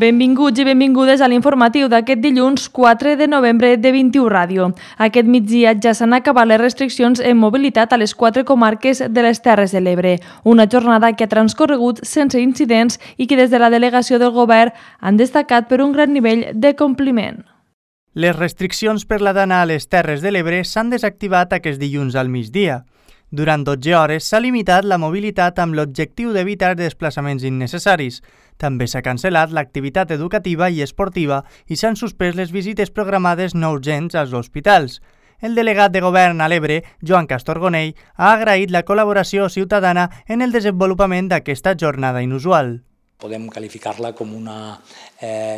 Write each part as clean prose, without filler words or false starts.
Benvinguts i benvingudes a l'informatiu d'aquest dilluns 4 de novembre de 21 Ràdio. Aquest migdia ja s'han acabat les restriccions en mobilitat a les 4 comarques de les Terres de l'Ebre. Una jornada que ha transcorregut sense incidents i que des de la delegació del govern han destacat per un gran nivell de compliment. Les restriccions per la d'anar a les Terres de l'Ebre s'han desactivat aquest dilluns al migdia. Durant 12 hores s'ha limitat la mobilitat amb l'objectiu d'evitar desplaçaments innecessaris. També s'ha cancel·lat l'activitat educativa i esportiva i s'han suspès les visites programades no urgents als hospitals. El delegat de govern a l'Ebre, Joan Castorgonell, ha agraït la col·laboració ciutadana en el desenvolupament d'aquesta jornada inusual. Podem qualificar-la com una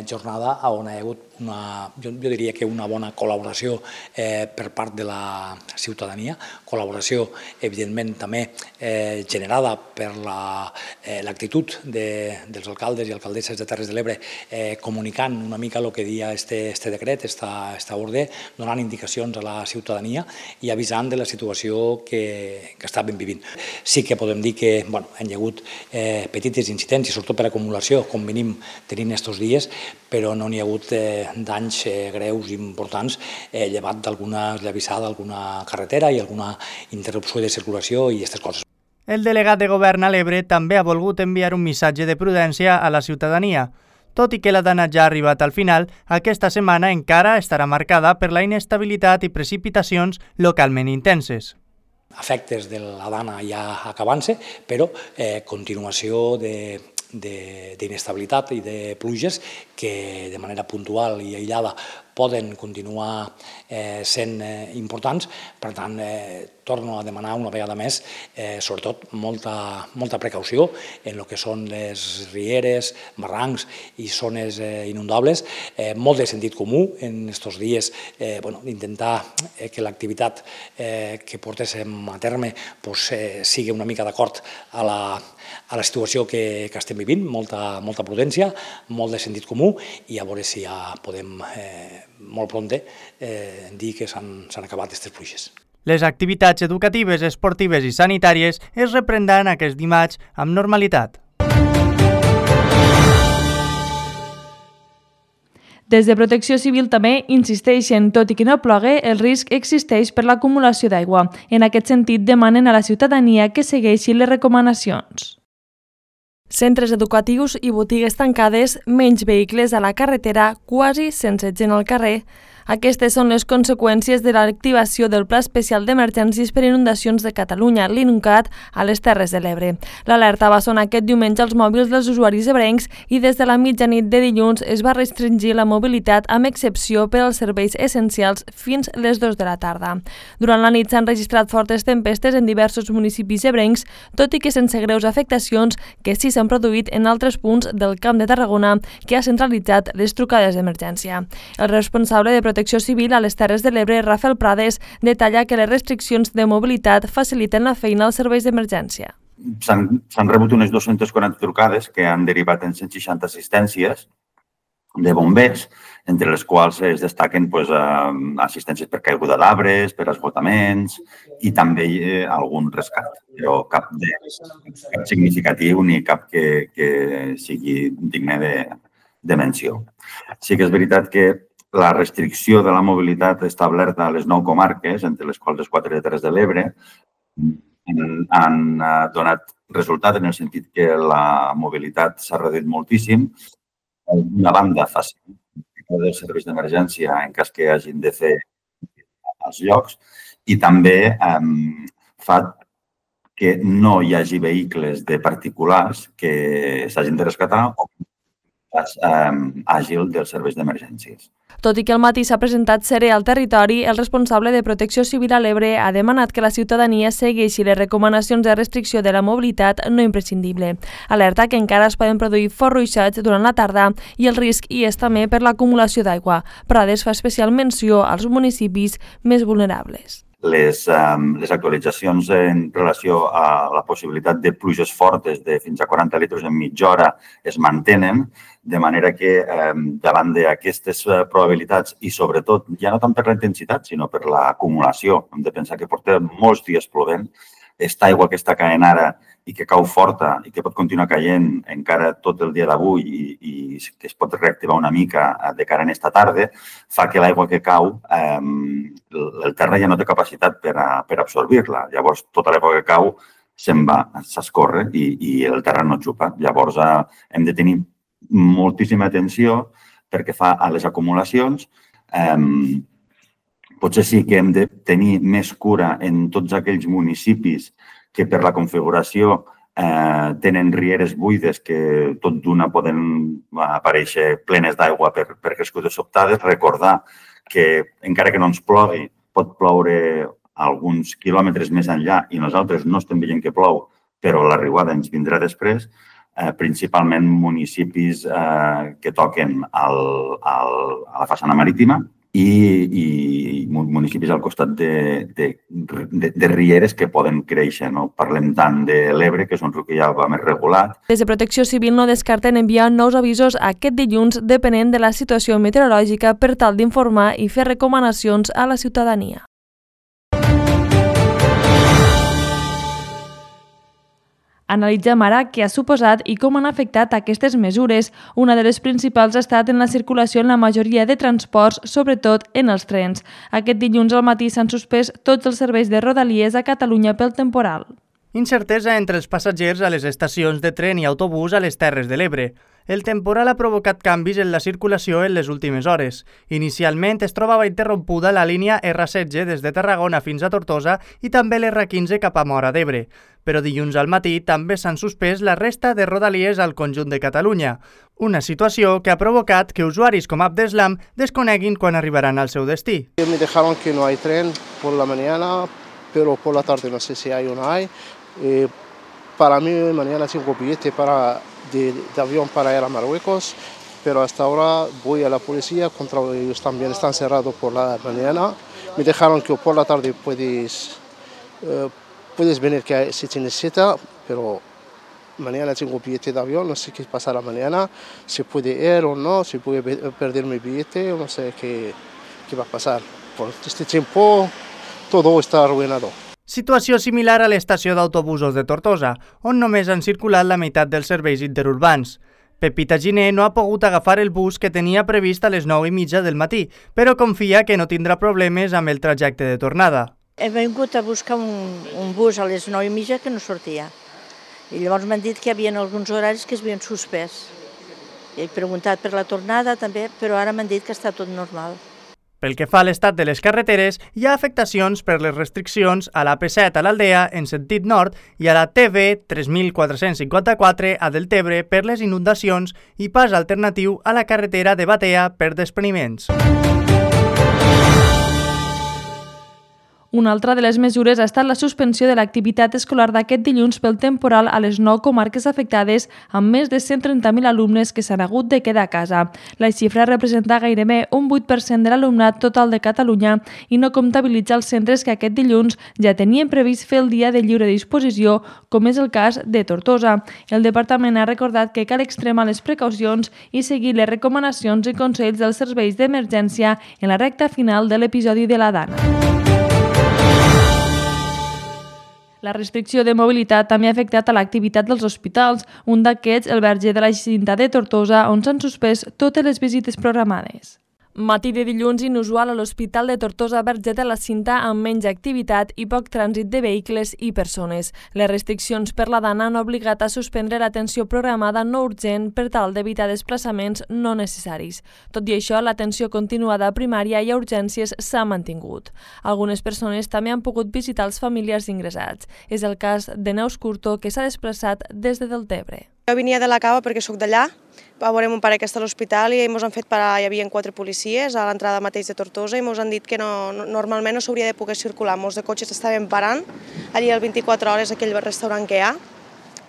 jornada on hi ha hagut jo diria que una bona col·laboració per part de la ciutadania, col·laboració evidentment també generada per l'actitud dels alcaldes i alcaldesses de Terres de l'Ebre comunicant una mica el que dia este decret, esta ordre, donant indicacions a la ciutadania i avisant de la situació que estàvem vivint. Sí que podem dir que hi ha hagut petits incidents i sobretot per acumulació, com venim tenint aquests dies, però no n'hi ha hagut danys greus i importants llevat d'alguna esllavissada, alguna carretera i alguna interrupció de circulació i aquestes coses. El delegat de govern a l'Ebre també ha volgut enviar un missatge de prudència a la ciutadania. Tot i que la dana ja ha arribat al final, aquesta setmana encara estarà marcada per la inestabilitat i precipitacions localment intenses. Efectes de la dana ja acabant-se, però continuació d'inestabilitat i de pluges que de manera puntual i aïllada poden continuar sent importants. Per tant, torno a demanar una vegada més, sobretot, molta precaució en el que són les rieres, barrancs i zones inundables. Molt de sentit comú en aquests dies, intentar que l'activitat que portéssim a terme sigui una mica d'acord a la situació que estem vivint, molta prudència, molt de sentit comú i a veure si ja podem molt prompte dir que s'han acabat aquestes pluges. Les activitats educatives, esportives i sanitàries es reprendran aquest dimarts amb normalitat. Des de Protecció Civil també insisteixen, tot i que no plogui, el risc existeix per l'acumulació d'aigua. En aquest sentit, demanen a la ciutadania que segueixi les recomanacions. Centres educatius i botigues tancades, menys vehicles a la carretera, quasi sense gent al carrer. Aquestes són les conseqüències de l'activació del Pla Especial d'Emergències per Inundacions de Catalunya, l'INUCAT, a les Terres de l'Ebre. L'alerta va sonar aquest diumenge als mòbils dels usuaris ebrencs i des de la mitjanit de dilluns es va restringir la mobilitat amb excepció per als serveis essencials fins les 2 de la tarda. Durant la nit s'han registrat fortes tempestes en diversos municipis ebrencs, tot i que sense greus afectacions que sí s'han produït en altres punts del Camp de Tarragona, que ha centralitzat les trucades d'emergència. El responsable de Protecció Civil a les Terres de l'Ebre, Rafael Prades, detalla que les restriccions de mobilitat faciliten la feina als serveis d'emergència. S'han rebut unes 240 trucades que han derivat en 160 assistències de bombers, entre les quals es destaquen assistències per caiguda d'arbres, per esgotaments i també algun rescat, però cap significatiu ni cap que sigui digne de menció. Sí que és veritat que la restricció de la mobilitat establerta a les 9 comarques, entre les quals les 4 de Terres de l'Ebre, han donat resultat en el sentit que la mobilitat s'ha reduït moltíssim. D'una banda, facilita els serveis d'emergència en cas que hagin de fer als llocs i també fa que no hi hagi vehicles de particulars que s'hagin de rescatar o àgil dels serveis d'emergències. Tot i que al matí s'ha presentat serè al territori, el responsable de Protecció Civil a l'Ebre ha demanat que la ciutadania segueixi les recomanacions de restricció de la mobilitat no imprescindible. Alerta que encara es poden produir forts ruixats durant la tarda i el risc hi és també per l'acumulació d'aigua. Prades fa especial menció als municipis més vulnerables. Les actualitzacions en relació a la possibilitat de pluges fortes de fins a 40 litres en mitja hora es mantenen, de manera que davant d'aquestes probabilitats i sobretot, ja no tant per la intensitat, sinó per l'acumulació, hem de pensar que portem molts dies plovent, aquesta aigua que està caient ara i que cau forta i que pot continuar caient encara tot el dia d'avui i que es pot reactivar una mica de cara a aquesta tarda, fa que l'aigua que cau, el terra ja no té capacitat per absorbir-la. Llavors, tota l'aigua que cau se'n va, s'escorre i el terra no xupa. Llavors, hem de tenir moltíssima atenció perquè fa a les acumulacions. Potser sí que hem de tenir més cura en tots aquells municipis que per la configuració tenen rieres buides que tot d'una poden aparèixer plenes d'aigua per crescudes sobtades. Recordar que encara que no ens plogui, pot ploure alguns quilòmetres més enllà i nosaltres no estem veient que plou, però la riuada ens vindrà després, principalment municipis que toquen a la façana marítima i municipis al costat de rieres que poden créixer. No parlem tant de l'Ebre, que és un riu que ja va més regulat. Des de Protecció Civil no descarten enviar nous avisos aquest dilluns depenent de la situació meteorològica per tal d'informar i fer recomanacions a la ciutadania. Analitzem ara què ha suposat i com han afectat aquestes mesures. Una de les principals ha estat en la circulació en la majoria de transports, sobretot en els trens. Aquest dilluns al matí s'han suspès tots els serveis de Rodalies a Catalunya pel temporal. Incertesa entre els passatgers a les estacions de tren i autobús a les Terres de l'Ebre. El temporal ha provocat canvis en la circulació en les últimes hores. Inicialment es trobava interrompuda la línia R16 des de Tarragona fins a Tortosa i també l'R15 cap a Móra d'Ebre. Però dilluns al matí també s'han suspès la resta de Rodalies al conjunt de Catalunya. Una situació que ha provocat que usuaris com Abdeslam desconeguin quan arribaran al seu destí. Me dejaron que no hay tren por la mañana, pero por la tarde no sé si hay o no hay. Para mí mañana tengo billete de avión para ir a Marruecos, pero hasta ahora voy a la policía, contra ellos también están cerrados por la mañana. Me dejaron que por la tarde puedes venir que si te necesita, pero mañana tengo billete de avión, no sé qué pasará mañana, si puede ir o no, si puede perder mi billete, no sé qué va a pasar. Por este tiempo todo está arruinado. Situació similar a l'estació d'autobusos de Tortosa, on només han circulat la meitat dels serveis interurbans. Pepita Giner no ha pogut agafar el bus que tenia previst a les 9:30 del matí, però confia que no tindrà problemes amb el trajecte de tornada. He vingut a buscar un bus a les 9:30 que no sortia. I llavors m'han dit que hi havia alguns horaris que es havien suspès. He preguntat per la tornada també, però ara m'han dit que està tot normal. Pel que fa a l'estat de les carreteres, hi ha afectacions per les restriccions a l'AP7 a l'Aldea en sentit nord i a la TV 3454 a Deltebre per les inundacions i pas alternatiu a la carretera de Batea per despreniments. Una altra de les mesures ha estat la suspensió de l'activitat escolar d'aquest dilluns pel temporal a les 9 comarques afectades amb més de 130.000 alumnes que s'han hagut de quedar a casa. La xifra representa gairebé un 8% de l'alumnat total de Catalunya i no comptabilitza els centres que aquest dilluns ja tenien previst fer el dia de lliure disposició, com és el cas de Tortosa. El departament ha recordat que cal extremar les precaucions i seguir les recomanacions i consells dels serveis d'emergència en la recta final de l'episodi de la Dana. La restricció de mobilitat també ha afectat a l'activitat dels hospitals, un d'aquests, el Verger de la Cinta de Tortosa, on s'han suspès totes les visites programades. Matí de dilluns inusual a l'Hospital de Tortosa Verger de la Cinta amb menys activitat i poc trànsit de vehicles i persones. Les restriccions per la Dana han obligat a suspendre l'atenció programada no urgent per tal d'evitar desplaçaments no necessaris. Tot i això, l'atenció continuada a primària i a urgències s'ha mantingut. Algunes persones també han pogut visitar els familiars ingressats. És el cas de Neus Curto, que s'ha desplaçat des de Deltebre. Jo venia de la Cava perquè sóc d'allà, va veure mon pare que està a l'hospital i ens han fet parar, hi havia 4 policies a l'entrada mateix de Tortosa i ens han dit que normalment no s'hauria de poder circular. Molts de cotxes estaven parant, allí al 24 hores aquell restaurant que hi ha,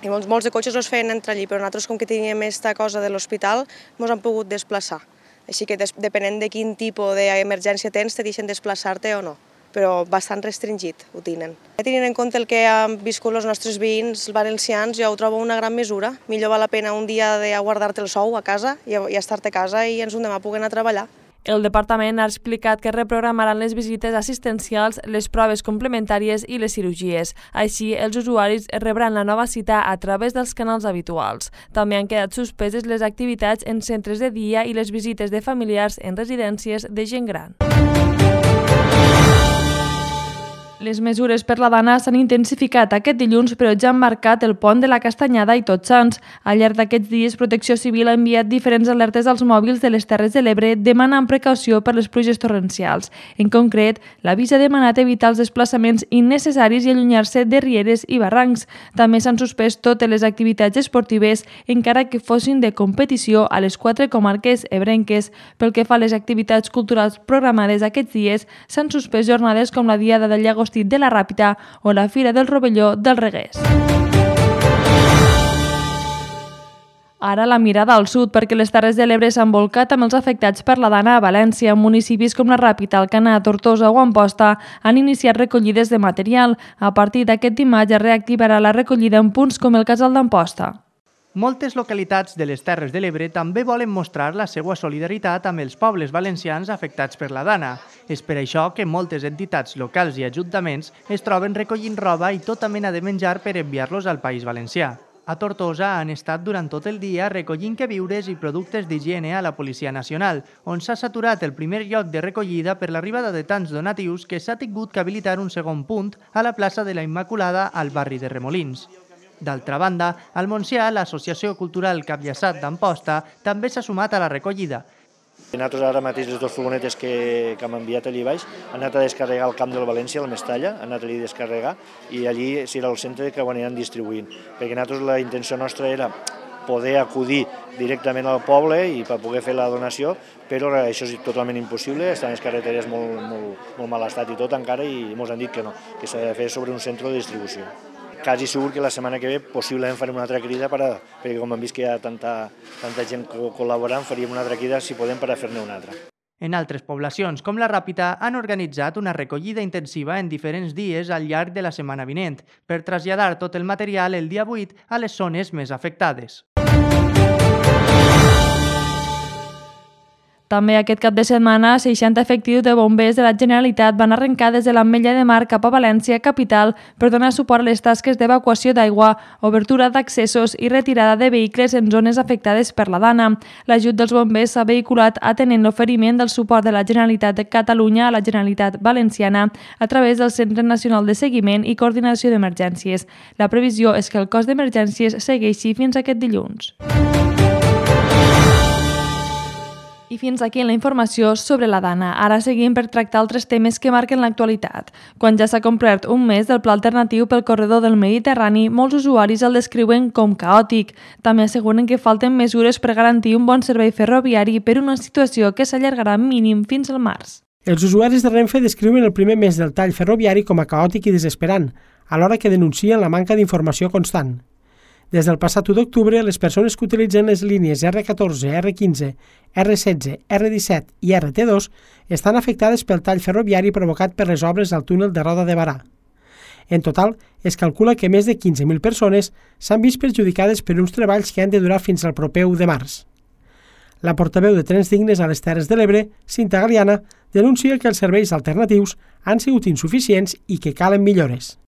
i molts de cotxes no es feien entrar allí, però nosaltres com que teníem aquesta cosa de l'hospital ens han pogut desplaçar. Així que depenent de quin tipus d'emergència tens, te deixen desplaçar-te o no, però bastant restringit ho tenen. Tenint en compte el que han viscut els nostres veïns valencians, jo ho trobo una gran mesura. Millor val la pena un dia de guardar-te el sou a casa i estar-te a casa i ens un demà poder anar a treballar. El departament ha explicat que reprogramaran les visites assistencials, les proves complementàries i les cirurgies. Així, els usuaris rebran la nova cita a través dels canals habituals. També han quedat suspeses les activitats en centres de dia i les visites de familiars en residències de gent gran. Les mesures per la Dana s'han intensificat aquest dilluns, però ja han marcat el pont de la Castanyada i Tots Sants. Al llarg d'aquests dies, Protecció Civil ha enviat diferents alertes als mòbils de les Terres de l'Ebre demanant precaució per les pluges torrencials. En concret, l'avís ha demanat evitar els desplaçaments innecessaris i allunyar-se de rieres i barrancs. També s'han suspès totes les activitats esportives, encara que fossin de competició a les 4 comarques ebrenques. Pel que fa a les activitats culturals programades aquests dies, s'han suspès jornades com la Diada del Llagostí de la Ràpita o la Fira del Rovelló del Reguers. Ara la mirada al sud, perquè les Terres de l'Ebre s'han volcat amb els afectats per la Dana a València. Municipis com la Ràpita, Alcanar, Tortosa o Amposta han iniciat recollides de material. A partir d'aquest dimarts es reactivarà la recollida en punts com el Casal d'Amposta. Moltes localitats de les Terres de l'Ebre també volen mostrar la seva solidaritat amb els pobles valencians afectats per la Dana. És per això que moltes entitats locals i ajuntaments es troben recollint roba i tota mena de menjar per enviar-los al País Valencià. A Tortosa han estat durant tot el dia recollint queviures i productes d'higiene a la Policia Nacional, on s'ha saturat el primer lloc de recollida per l'arribada de tants donatius que s'ha tingut que habilitar un segon punt a la plaça de la Immaculada al barri de Remolins. D'altra banda, al Montsià, l'Associació Cultural Capllaçat d'Amposta també s'ha sumat a la recollida. Nosaltres ara mateix les dues furgonetes que hem enviat allí baix han anat a descarregar al camp del València, al Mestalla, han anat allí a descarregar i allí serà el centre que ho aniran distribuint. Perquè nosaltres la intenció nostra era poder acudir directament al poble i per poder fer la donació, però això és totalment impossible, estan les carreteres molt mal estat i tot encara i ens han dit que no, que s'ha de fer sobre un centre de distribució. Quasi segur que la setmana que ve possiblement farem una altra crida perquè com hem vist que hi ha tanta gent col·laborant, faríem una altra crida si podem per a fer-ne una altra. En altres poblacions, com la Ràpita, han organitzat una recollida intensiva en diferents dies al llarg de la setmana vinent per traslladar tot el material el dia 8 a les zones més afectades. També aquest cap de setmana, 60 efectius de bombers de la Generalitat van arrencar des de l'Ametlla de Mar cap a València, capital, per donar suport a les tasques d'evacuació d'aigua, obertura d'accessos i retirada de vehicles en zones afectades per la Dana. L'ajut dels bombers s'ha vehiculat atenent l'oferiment del suport de la Generalitat de Catalunya a la Generalitat Valenciana a través del Centre Nacional de Seguiment i Coordinació d'Emergències. La previsió és que el cos d'emergències segueixi fins aquest dilluns. I fins aquí la informació sobre la Dana. Ara seguim per tractar altres temes que marquen l'actualitat. Quan ja s'ha complert un mes del pla alternatiu pel corredor del Mediterrani, molts usuaris el descriuen com caòtic. També asseguren que falten mesures per garantir un bon servei ferroviari per una situació que s'allargarà mínim fins al març. Els usuaris de Renfe descriuen el primer mes del tall ferroviari com a caòtic i desesperant, alhora que denuncien la manca d'informació constant. Des del passat 1 d'octubre, les persones que utilitzen les línies R14, R15, R16, R17 i RT2 estan afectades pel tall ferroviari provocat per les obres al túnel de Roda de Barà. En total, es calcula que més de 15.000 persones s'han vist perjudicades per uns treballs que han de durar fins al proper 1 de març. La portaveu de Trens Dignes a les Terres de l'Ebre, Cinta Galiana, denuncia que els serveis alternatius han sigut insuficients i que calen millores.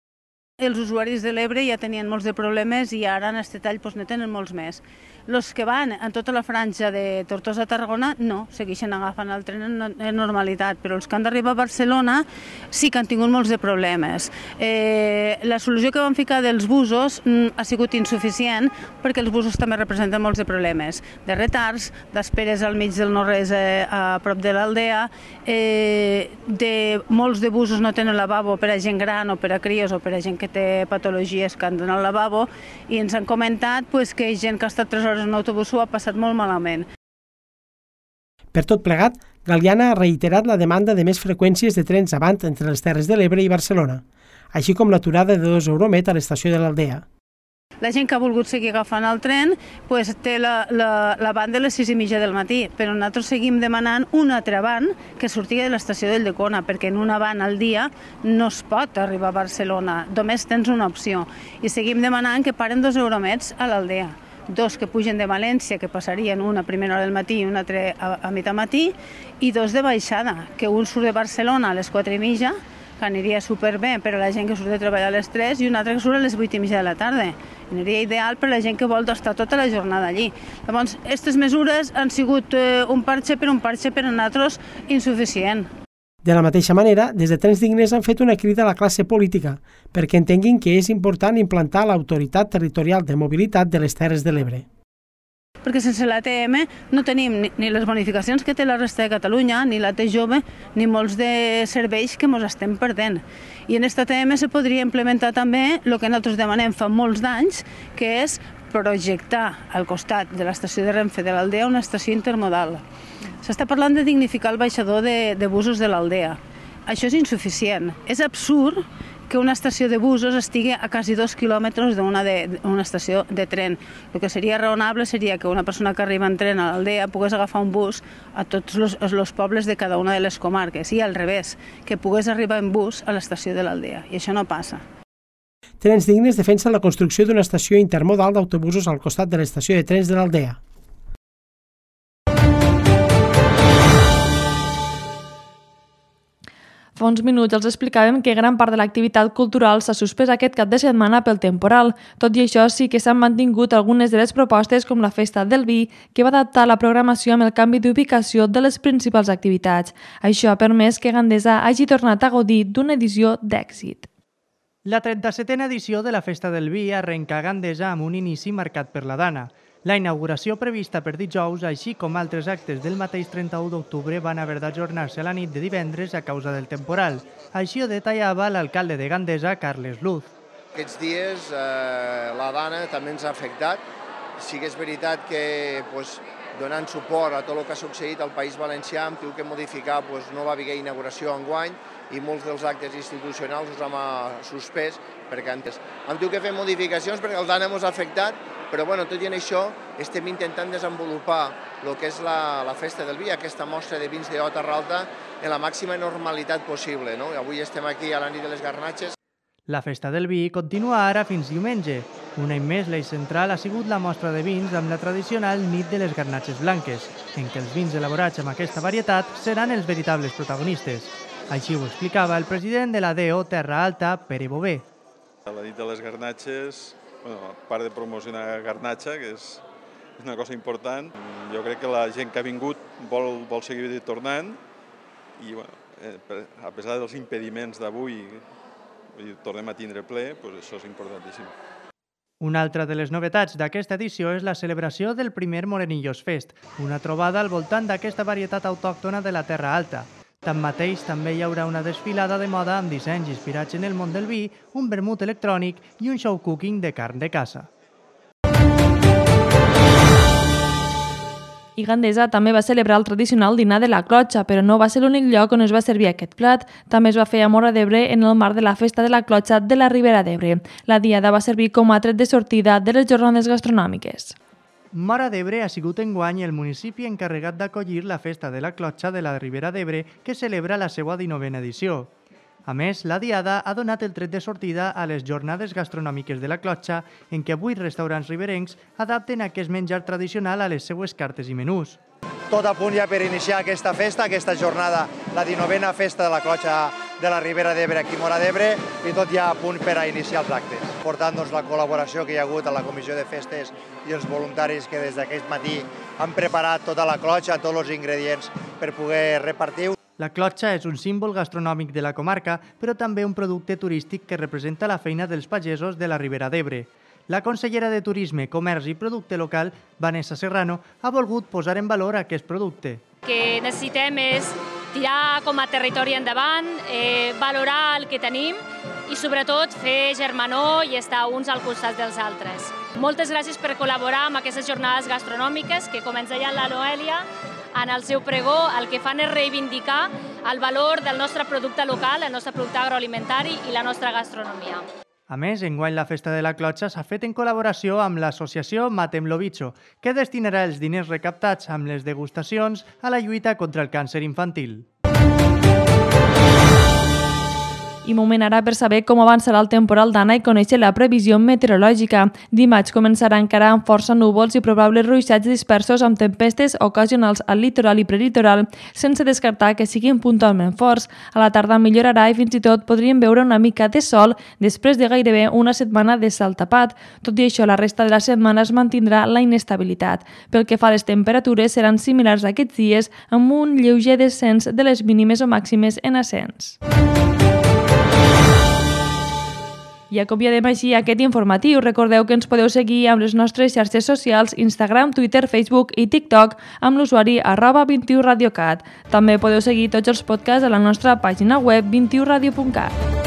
Els usuaris de l'Ebre ja tenien molts de problemes i ara en aquest tall ne tenen molts més. Els que van en tota la franja de Tortosa a Tarragona no, segueixen agafant el tren en normalitat, però els que han d'arribar a Barcelona sí que han tingut molts de problemes. La solució que van ficar dels busos ha sigut insuficient perquè els busos també representen molts de problemes, de retards, d'esperes al mig del no-res a prop de l'Aldea, molts de busos no tenen lavabo per a gent gran o per a cries o per a gent que té patologies que han d'anar al lavabo i ens han comentat que gent que ha estat 3 hores en autobús ho ha passat molt malament. Per tot plegat, Galiana ha reiterat la demanda de més freqüències de trens avant entre les Terres de l'Ebre i Barcelona, així com l'aturada de 2 Euromet a l'estació de l'Aldea. La gent que ha volgut seguir agafant el tren té la van de les 6:30 del matí, però nosaltres seguim demanant un altre van que surti de l'estació del Ldecona, perquè en una van al dia no es pot arribar a Barcelona, només tens una opció. I seguim demanant que paren 2 Euromets a l'Aldea, 2 que pugen de València, que passarien una a primera hora del matí i una altra a mitjanmatí, i 2 de baixada, que un surt de Barcelona a les 4:30, que aniria superbé per a la gent que surt de treballar a les 3, i un altre que surt a les 8:30 de la tarda. Aniria ideal per a la gent que vol estar tota la jornada allí. Llavors, aquestes mesures han sigut un parche per a nosaltres insuficient. De la mateixa manera, des de Trens Dignes han fet una crida a la classe política perquè entenguin que és important implantar l'Autoritat Territorial de Mobilitat de les Terres de l'Ebre. Perquè sense l'ATM no tenim ni les bonificacions que té la resta de Catalunya, ni la T jove, ni molts de serveis que ens estem perdent. I en aquesta ATM se podria implementar també el que nosaltres demanem fa molts d'anys, que és projectar al costat de l'estació de Renfe de l'Aldea una estació intermodal. S'està parlant de dignificar el baixador de busos de l'Aldea. Això és insuficient. És absurd que una estació de busos estigui a quasi 2 quilòmetres d'una estació de tren. El que seria raonable seria que una persona que arriba en tren a l'Aldea pogués agafar un bus a tots els pobles de cada una de les comarques, i al revés, que pogués arribar en bus a l'estació de l'Aldea. I això no passa. Trens Dignes defensa la construcció d'una estació intermodal d'autobusos al costat de l'estació de trens de l'Aldea. Fa uns minuts els explicàvem que gran part de l'activitat cultural s'ha suspès aquest cap de setmana pel temporal. Tot i això, sí que s'han mantingut algunes de les propostes, com la Festa del Vi, que va adaptar la programació amb el canvi d'ubicació de les principals activitats. Això ha permès que Gandesa hagi tornat a gaudir d'una edició d'èxit. La 37a edició de la Festa del Vi arrenca a Gandesa amb un inici marcat per la Dana. La inauguració prevista per dijous, així com altres actes del mateix 31 d'octubre, van haver d'ajornar-se a la nit de divendres a causa del temporal. Així ho detallava l'alcalde de Gandesa, Carles Luz. Aquests dies la Dana també ens ha afectat. Sí que és veritat que donant suport a tot el que ha succeït al País Valencià, hem tingut que modificar, no va haver inauguració enguany i molts dels actes institucionals els hem suspès perquè antes hem tingut que fer modificacions perquè el Dana ens ha afectat, però tot i això estem intentant desenvolupar el que és la Festa del Vi, aquesta mostra de vins d'O Terra Alta, en la màxima normalitat possible. Avui estem aquí a la nit de les Garnatxes. La Festa del Vi continua ara fins diumenge. Un any més, l'eix central ha sigut la mostra de vins amb la tradicional nit de les Garnatxes blanques, en què els vins elaborats amb aquesta varietat seran els veritables protagonistes. Així ho explicava el president de la DO Terra Alta, Pere Bové. La nit de les Garnatxes, a part de promocionar Garnatxa, que és una cosa important, jo crec que la gent que ha vingut vol seguir tornant i, a pesar dels impediments d'avui, tornem a tindre ple, això és importantíssim. Una altra de les novetats d'aquesta edició és la celebració del primer Morenillos Fest, una trobada al voltant d'aquesta varietat autòctona de la Terra Alta. Tanmateix, també hi haurà una desfilada de moda amb dissenys inspirats en el món del vi, un vermut electrònic i un show cooking de carn de caça. I Gandesa també va celebrar el tradicional dinar de la clotxa, però no va ser l'únic lloc on es va servir aquest plat. També es va fer a Móra d'Ebre en el marc de la Festa de la Clotxa de la Ribera d'Ebre. La diada va servir com a tret de sortida de les jornades gastronòmiques. Móra d'Ebre ha sigut enguany el municipi encarregat d'acollir la Festa de la Clotxa de la Ribera d'Ebre, que celebra la seva 19a edició. A més, la diada ha donat el tret de sortida a les jornades gastronòmiques de la Clotxa, en què 8 restaurants riberencs adapten aquest menjar tradicional a les seues cartes i menús. Tot a punt ja per iniciar aquesta festa, aquesta jornada, la 19a Festa de la Clotxa de la Ribera d'Ebre aquí a Móra d'Ebre, i tot ja a punt per a iniciar els actes. Portant la col·laboració que hi ha hagut a la Comissió de Festes i els voluntaris que des d'aquest matí han preparat tota la clotxa, tots els ingredients per poder repartir. La clotxa és un símbol gastronòmic de la comarca, però també un producte turístic que representa la feina dels pagesos de la Ribera d'Ebre. La consellera de Turisme, Comerç i Producte Local, Vanessa Serrano, ha volgut posar en valor aquest producte. El que necessitem és tirar com a territori endavant, valorar el que tenim i sobretot fer germanor i estar uns al costat dels altres. Moltes gràcies per col·laborar amb aquestes jornades gastronòmiques que, com ens deia la Noèlia, en el seu pregó el que fan és reivindicar el valor del nostre producte local, el nostre producte agroalimentari i la nostra gastronomia. A més, enguany la Festa de la Clotxa s'ha fet en col·laboració amb l'associació Matem lo Bicho, que destinarà els diners recaptats amb les degustacions a la lluita contra el càncer infantil. I moment ara per saber com avançarà el temporal d'Anna i conèixer la previsió meteorològica. Dimarts començarà encara amb força núvols i probables ruixats dispersos amb tempestes ocasionals al litoral i prelitoral, sense descartar que siguin puntualment forts. A la tarda millorarà i fins i tot podríem veure una mica de sol després de gairebé una setmana de cel tapat. Tot i això, la resta de la setmana es mantindrà la inestabilitat. Pel que fa a les temperatures, seran similars a aquests dies, amb un lleuger descens de les mínimes o màximes en ascens. I acomiadem així aquest informatiu. Recordeu que ens podeu seguir amb les nostres xarxes socials Instagram, Twitter, Facebook i TikTok amb l'usuari @21radiocat. També podeu seguir tots els podcasts a la nostra pàgina web 21radio.cat.